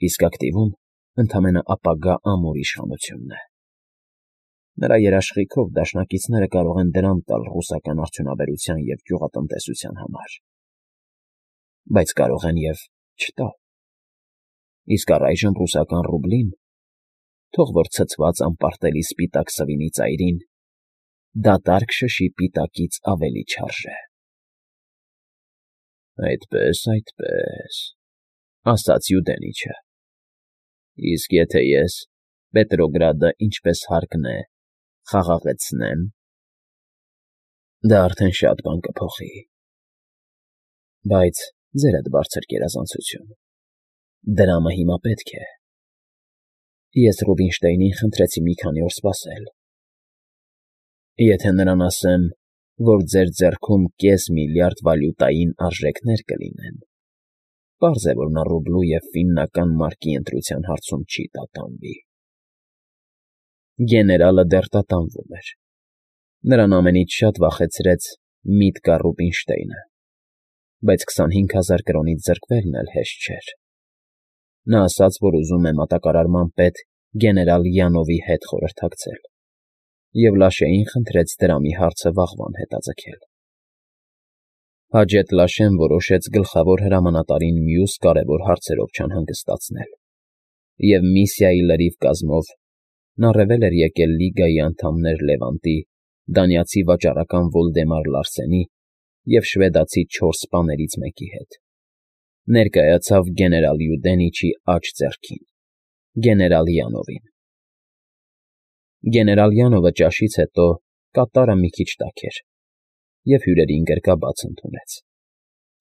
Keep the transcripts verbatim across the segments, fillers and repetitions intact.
իսկ ակտիվում ընդամենը ապագա ամուր իշխանությունն է։ Նրա երաշխիքով դաշնակիցները կարող են դրամ տալ ռուսական արդյունաբերության և գյուղատնտեսության համար, բայց կարող են և չտալ։ Իսկ առայժմ ռուսական ռուբլին, թող որ ցցված անպարտելի սպիտակ սվինի ծայրին, դատարկ շշի պիտակից ավելի չարժե։ ֊ Այդպես, այդպես,֊ ասաց Յուդենիչը,֊ իսկ եթե ես Պետրոգրադը ինչպես հարկն է խաղաղեցնեմ, դա արդեն շատ բան կփոխի, բայց, ձերդ բարձր գերազանցություն, դրամը հիմա պետք է… Ես Ռուբինշտեյնին խնդրեցի մի քանի օր սպասել. եթե նրան ասեմ, որ ձեր ձեռքում կես միլիարդ վալյուտային արժեքներ կլինեն, պարզ է, որ նա ռուբլու և ֆիննական մարկի ընտրության հարցում չի տատանվի։ Գեներալը դեռ տատանվում էր. նրան ամենից շատ վախեցրեց Միտկա Ռուբինշտեյնը, բայց քսանհինգ հազար կրոնից զրկվելն էլ հեշտ չէր։ Նա ասաց, որ ուզում է մատակարարման պետ գեներալ Յանովի հետ խորհրդակցել, և Լաշեին խնդրեց դրամի հարցը վաղվան հետաձգել։ Հաջեթ Լաշեն որոշեց գլխավոր հրամանատարին մյուս կարևոր հարցերով չանհանգստացնել, և միսիայի լրիվ կազմով նա ռեվել էր եկել Լիգայի անդամներ Լևանտի, դանիացի վաճառական Վոլդեմար Լարսենի և շվեդացի չորս սպաներից մեկի հետ, ներկայացավ գեներալ Յուդենիչի աջ ձեռքին՝ գեներալ Յանովին։ Գեներալ Յանովը ճաշից հետո կատարը մի քիչ տաք էր և հյուրերին գրկաբաց ընդունեց։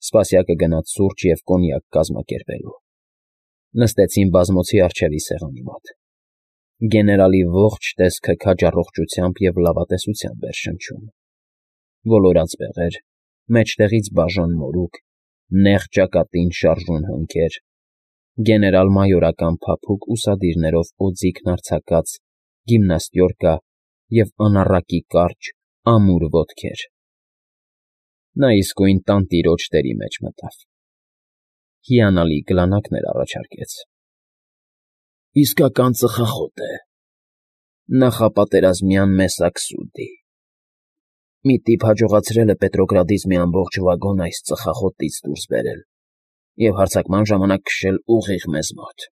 Սպասյակը գնաց սուրճ և կոնյակ կազմակերպելու։ Նստեցին բազմոցի առջևի սեղանի մոտ։ Գեներալի ողջ տեսքը քաջառողջությամբ և լավատեսությամբ էր շնչում. ոլորած բեղեր, մեջտեղից բաժան մորուք, նեղ ճակատին շարժուն հոնքեր, գեներալ֊մայորական փափուկ ուսադիրներով օձիքն արձակած գիմնաստյորկա և անառակի կարճ, ամուր ոտքեր… Նա իսկույն տանտիրոջ տերի մեջ մտավ։ Հիանալի գլանակներ առաջարկեց. իսկական ծխախոտ է, նախապատերազմյան մեսակ սուդի… Մի տիպ հաջողացրել է Պետրոգրադից մի ամբողջ վագոն այս ծխախոտից դուրս բերել և հարձակման ժամանակ քշել ուղիղ մեզ մոտ…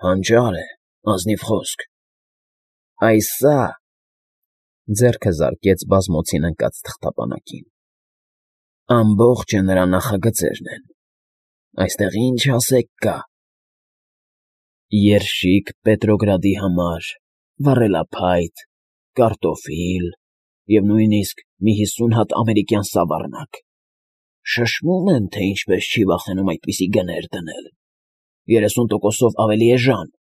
Հանճար է, ազնիվ խոսք… Այս սա…֊ ձեռքը զարկեց բազմոցին ընկած թղթապանակին,֊ ամբողջը նրա նախագծերն են… Այստեղ ինչ ասեք կա… Երշիկ Պետրոգրադի համար, վառելափայտ, կարտոֆիլ և նույնիսկ մի հիսուն հատ ամերիկյան սավառնակ… Շշմում են, թե ինչպես չի վախենում այդպիսի գներ դնել… երեսուն տոկոսով ավելի էժան…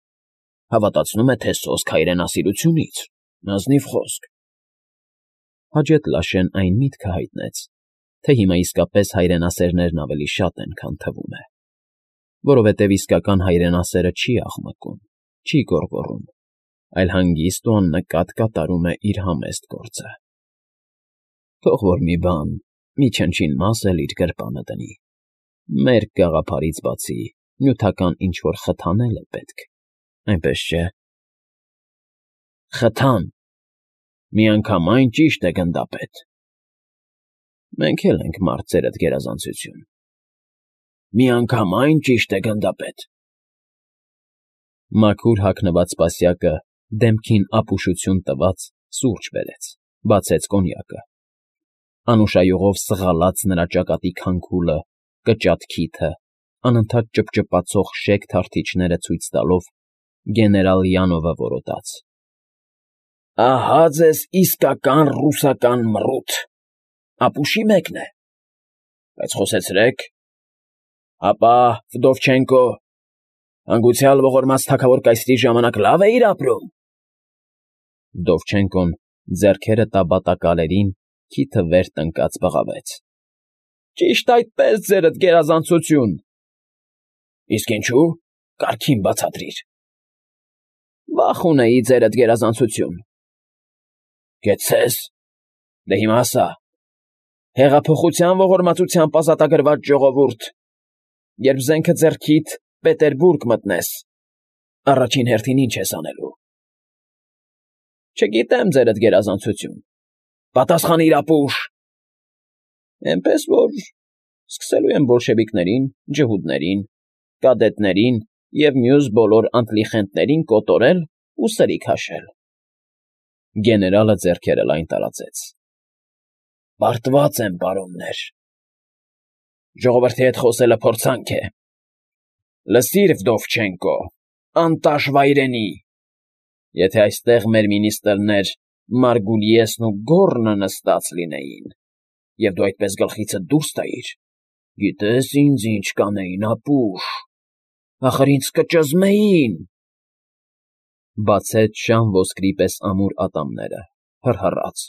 Հավատացնում է, թե սոսկ հայրենասիրությունից… Ազնիվ խոսք… Հաջեթ Լաշեն այն միտքը հայտնեց, թե հիմա իսկապես հայրենասերներն ավելի շատ են, քան թվում է, որովհետև իսկական հայրենասերը չի աղմկում, չի գոռգոռում, այլ հանգիստ ու աննկատ կատարում է իր համեստ գործը… Թող որ մի բան, մի չնչին մաս էլ իր գրպանը դնի, մերկ գաղափարից բացի նյութական ինչ֊որ խթան էլ է պետք, այնպես չէ՞… Խթան… Միանգամայն ճիշտ է, գնդապետ… Մենք էլ ենք մարդ, ձերդ գերազանցություն… Միանգամայն ճիշտ է, գնդապետ… Մաքուր հագնված սպասյակը դեմքին ապուշություն տված սուրճ բերեց, բացեց կոնյակը… Անուշայողով սղալաց նրա ճակատի քանքուլը, կճատ քիթը, անընդհատ ճպճպացող շեկ թարթիչները ցույց տալով, գեներալ Յանովը որոտաց. Ահա ձեզ իսկական ռուսական մռութ… Ապուշի մեկն է… Բայց խոսեցրեք… Հապա, Վդովչենկո, հանգուցյալ ողորմած թագավոր կայսրի ժամանակ լավ էիր ապրում… Վդովչենկոն ձեռքերը տաբատակալերին քիթը վեր տնկած բղավեց. Ճիշտ այդպես, ձերդ գերազանցություն… Իսկ ինչո՞ւ, կարգին բացատրիր… Վախ ունեի, ձերդ գերազանցություն… Կեցցե՞ս… Դե հիմա ասա… Հեղափոխության ողորմածությամբ ազատագրված ժողովուրդ, երբ զենքը ձեռքիդ, Պետերբուրգ մտնես, առաջին հերթին ինչ ես անելու։ Չգիտեմ, ձերդ գերազանցություն, պատասխանիր ապուշ։ Էնպես որ սկսելու եմ բոլշևիկներին, ջհուդներին, կադետներին և մյուս բոլոր անտլիխենտներին կոտորել ու սրի քաշել։ Գեներալը ձեռքերը լայն տարածեց։ Պարտված եմ, պարոններ։ Ժողովրդի հետ խոսելը փորձանք է։ Լսիր, Վդովչենկո, անտաշ վայրենի, եթե այստեղ մեր մինիստրներ Մարգուլիեսն ու Գոռնը նստած լինեին, և դու այդպես գլխիցդ դուրս տայիր, գիտես ինձ ինչ կանեին, ապուշ, ախր ինձ կճզմեին։ Բացեց շան ոսկրի պես ամուր ատամները, հռհռաց.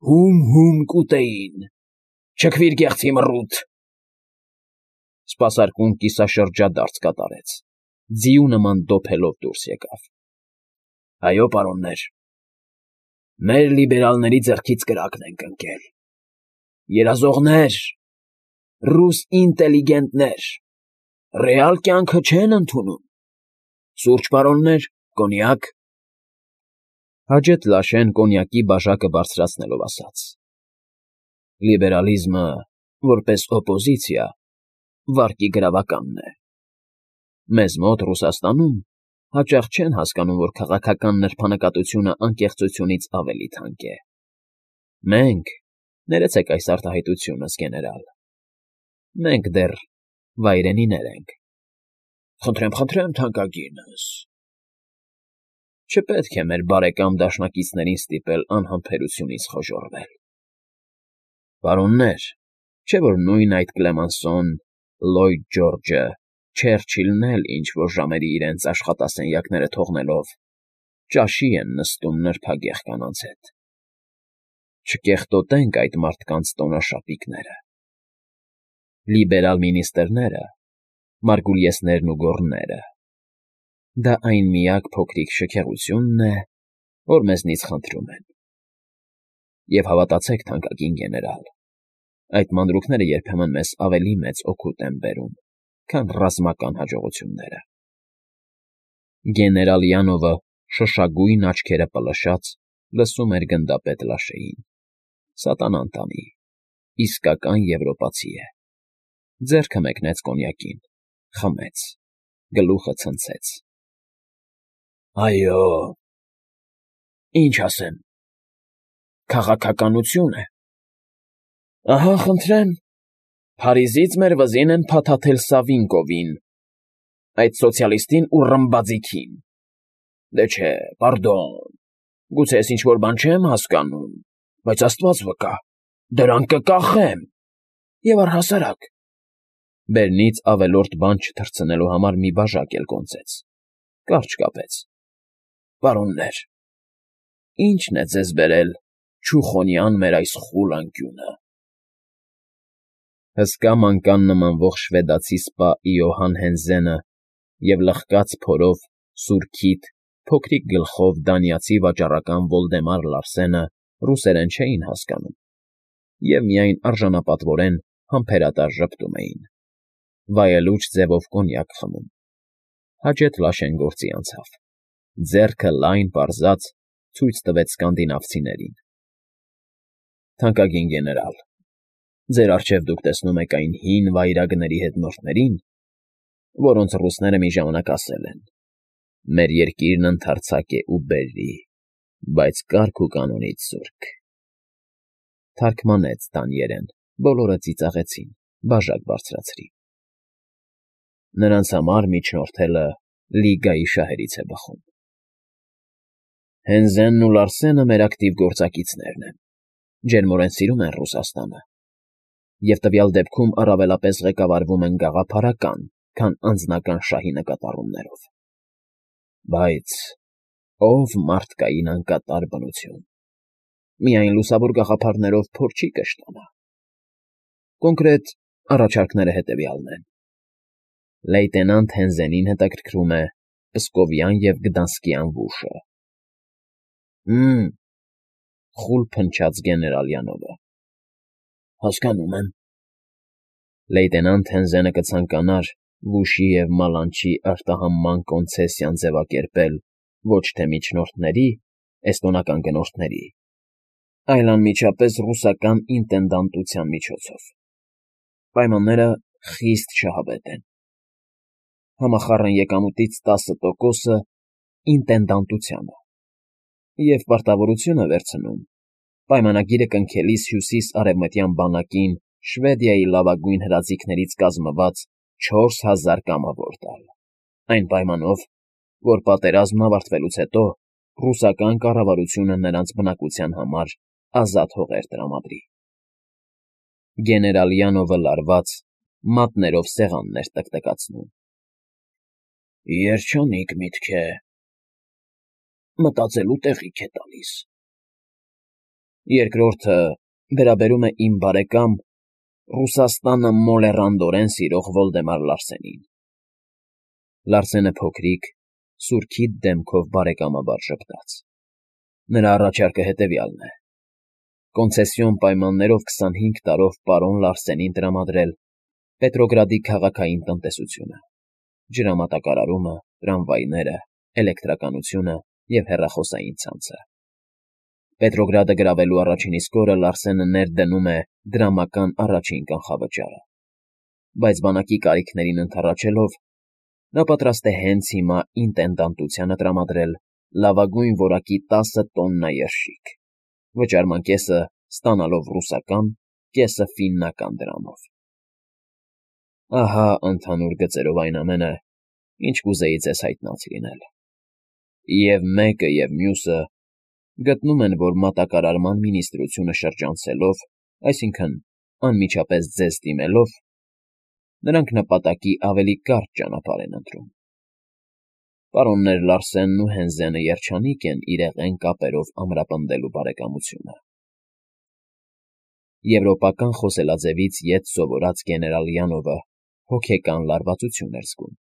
Հում֊հում կուտեին, չքվիր գեղձի մռութ։ Սպասարկուն կիսաշրջադարձ կատարեց, ձիու նման դոփելով դուրս եկավ։ Այո, պարոններ, մեր լիբերալների ձեռքից կրակն ենք ընկել։ Երազողներ, ռուս ինտելիգենտներ, ռեալ կյանքը չեն ընդունում։ Սուրճ, պարոններ, կոնյակ։ Հաջեթ Լաշեն կոնյակի բաժակը բարձրացնելով ասաց. Լիբերալիզմը, որպես օպոզիցիա, վարկի գրավականն է։ Մեզ մոտ Ռուսաստանում հաճախ չեն հասկանում, որ քաղաքական նրբանկատությունը անկեղծությունից ավելի թանկ է։ Մենք, ներեցեք այս արտահայտությունս, գեներալ, մենք դեռ վայրենիներ ենք։ Խնդրեմ, խնդրեմ, թանկագինս։ Չպետք է մեր բարեկամ դաշնակիցներին ստիպել անհամբերությունից խոժոռվել։ Պարոններ, չէ՞ որ նույն այդ Կլեմանսոն, Լլոյդ Ջորջը, Չերչիլն էլ ինչ֊որ ժամերի իրենց աշխատասենյակները թողնելով ճաշի են նստում նրբագեղ կանանց հետ։ Չկեղտոտենք այդ մարդկանց տոնաշապիկները։ Լիբերալ մինիստրները, Մարգուլիեսներն ու Գոռները, դա այն միակ փոքրիկ շքեղությունն է, որ մեզնից խնդրում են։ Եվ հավատացեք, թանկագին գեներալ, այդ մանրուքները երբեմն մեզ ավելի մեծ օգուտ են բերում, քան ռազմական հաջողությունները։ Գեներալ Յանովը շշագույն աչքերը պլշած լսում էր գնդապետ Լաշեին։ Սատանան տանի, իսկական եվրոպացի է։ Ձեռքը մեկնեց կոնյակին, խմեց, գլուխը ցնցեց։ Այո, ինչ ասեմ, քաղաքականություն է։ Ահա, խնդրեմ, Փարիզից մեր վզին են փաթաթել Սավինկովին, այդ սոցիալիստին ու ռմբաձիգին։ Դե չէ, պարդոն, գուցե ես ինչ֊որ բան չեմ հասկանում, բայց աստված վկա, դրանք կկախեմ, և առհասարակ… Բերնից ավելորդ բան չթռցնելու համար մի բաժակ էլ կոնծեց, կարճ կապեց։ Պարոններ, ի՞նչն է ձեզ բերել Չուխոնյան մեր այս խուլ անկյունը։ Հսկա մանկան նմանվող շվեդացի սպա Իոհան Հենզենը և լխկած փորով, սուր քիթ, փոքրիկ գլխով դանիացի վաճառական Վոլդեմար Լարսենը ռուսերեն չէին հասկանում և միայն արժանապատվորեն համբերատար ժպտում էին, վայելուչ ձևով կոնյակ խմում։ Հաջեթ Լաշեն գործի անցավ, ձեռքը լայն պարզած ցույց տվեց սկանդինավցիներին։ Թանկագին գեներալ, ձեր առջև դուք տեսնում եք այն հին վայրագների հետնորդներին, որոնց ռուսները մի ժամանակ ասել են. մեր երկիրն ընդարձակ է ու բերրի, բայց կարգ ու կանոնից զուրկ։ Թարգմանեց դանիերեն, բոլորը ծիծաղեցին, բաժակ բարձրացրին։ Նրանց համար միջնորդելը Լիգայի շահերից է բխում։ Հենզենն ու Լարսենը մեր ակտիվ գործակիցներն են, ջերմորեն սիրում են Ռուսաստանը և տվյալ դեպքում առավելապես ղեկավարվում են գաղափարական, քան անձնական շահի նկատառումներով։ Բայց ով մարդկային անկատար բնություն, միայն լուսավոր գաղափարներով փոր չի կշտանա։ Կոնկրետ առաջարկները հետևյալն են. Լեյտենանտ Հենզենին հետաքրքրում է Պսկովյան և Գդանսկյան ուժը։ Հը՛մ, խուլ փնչաց գեներալ Յանովը։ Հասկանում եմ։ Լեյտենանտ Հենզենը կցանկանար Վուշի և Մալանչի արտահանման կոնցեսիան ձևակերպել ոչ թե միջնորդների, էստոնական գնորդների, այլ անմիջապես ռուսական ինտենդանտության միջոցով։ Պայմանները խիստ շահավետ են։ Համախառն եկամուտից տասը տոկոսը ինտենդանտությանը և պարտավորություն է վերցնում պայմանագիրը կնքելիս հյուսիս֊արևմտյան բանակին Շվեդիայի լավագույն հրաձիգներից կազմված չորս հազար կամավոր տալ, այն պայմանով, որ պատերազմն ավարտվելուց հետո ռուսական կառավարությունը նրանց բնակության համար ազատ հողեր տրամադրի։ Գեներալ Յանովը լարված, մատներով սեղանն էր տկտկացնում։ Երջանիկ միտք է, մտածելու տեղիք է տալիս։ Երկրորդը վերաբերում է իմ բարեկամ, Ռուսաստանը մոլեռանդորեն սիրող Վոլդեմար Լարսենին։ Լարսենը փոքրիկ, սուրքիթ դեմքով բարեկամաբար ժպտաց։ Նրա առաջարկը հետևյալն է. կոնցեսիոն պայմաններով քսանհինգ տարով պարոն Լարսենին տրամադրել Պետրոգրադի քաղաքային տնտեսությունը, ջրամատակարարումը, տրամվայները, էլեկտրականությունը և հեռախոսային ցանցը։ Պետրոգրադը գրավելու առաջին իսկ օրը Լարսենը ներդնում է դրամական առաջին կանխավճարը, բայց բանակի կարիքներին ընդառաջելով նա պատրաստ է հենց հիմա ինտենդանտությանը տրամադրել լավագույն որակի տասը տոննա երշիկ, վճարման կեսը ստանալով ռուսական, կեսը ֆիննական դրամով։ Ահա ընդհանուր գծերով այն ամենը, ինչ կուզեի ձեզ հայտնած լինել։ Եվ մեկը, և մյուսը գտնում են, որ մատակարարման մինիստրությունը շրջանցելով, այսինքն անմիջապես ձեզ դիմելով, նրանք նպատակի ավելի կարճ ճանապարհ են ընտրում։ Պարոններ Լարսենն ու Հենզենը երջանիկ են իրեղեն կապերով ամրապնդելու բարեկամությունը։ Եվրոպական խոսելաձևից ետ սովորած գեներալ Յանովը հոգեկան լարվածություն էր զգում։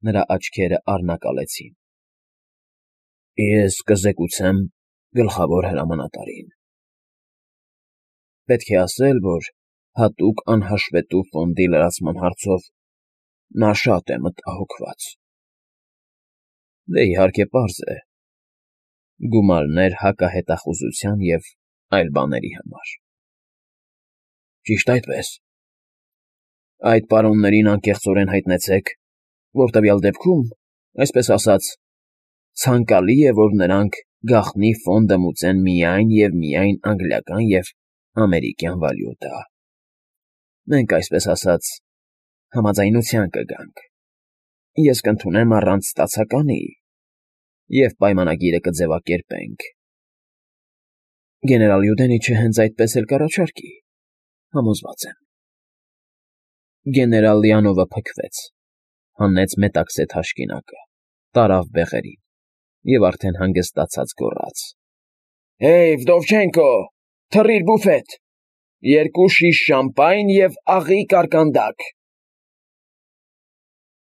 Նրա աչքերը առնակալեցին։ Ես կզեկուցեմ գլխավոր հրամանատարին։ Պետք է ասել, որ հատուկ անհաշվետու ֆոնդի լրացման հարցով նա շատ է մտահոգված։ Դե, իհարկե, պարզ է. գումարներ հակահետախուզության և այլ բաների համար։ Ճիշտ այդպես։ Այդ պարոններին անկեղծորեն հայտնեցեք, որ տվյալ դեպքում, այսպես ասած, ցանկալի է, որ նրանք գաղտնի ֆոնդը մուծեն միայն և միայն անգլիական և ամերիկյան վալյուտա։ Մենք, այսպես ասած, համաձայնության կգանք, ես կընդունեմ առանց ստացականի և պայմանագիրը կձևակերպենք։ Գեներալ Յուդենիչը հենց այդպես էլ կառաջարկի, համոզված եմ։ Գեներալ Լիանովը փքվեց, հանեց մետաքսե թաշկինակը, տարավ բեղերին և արդեն հանգստացած գոռաց. Հեյ, Վդովչենկո, թռիր բուֆետ, երկու շիշ շամպայն և աղի կարկանդակ։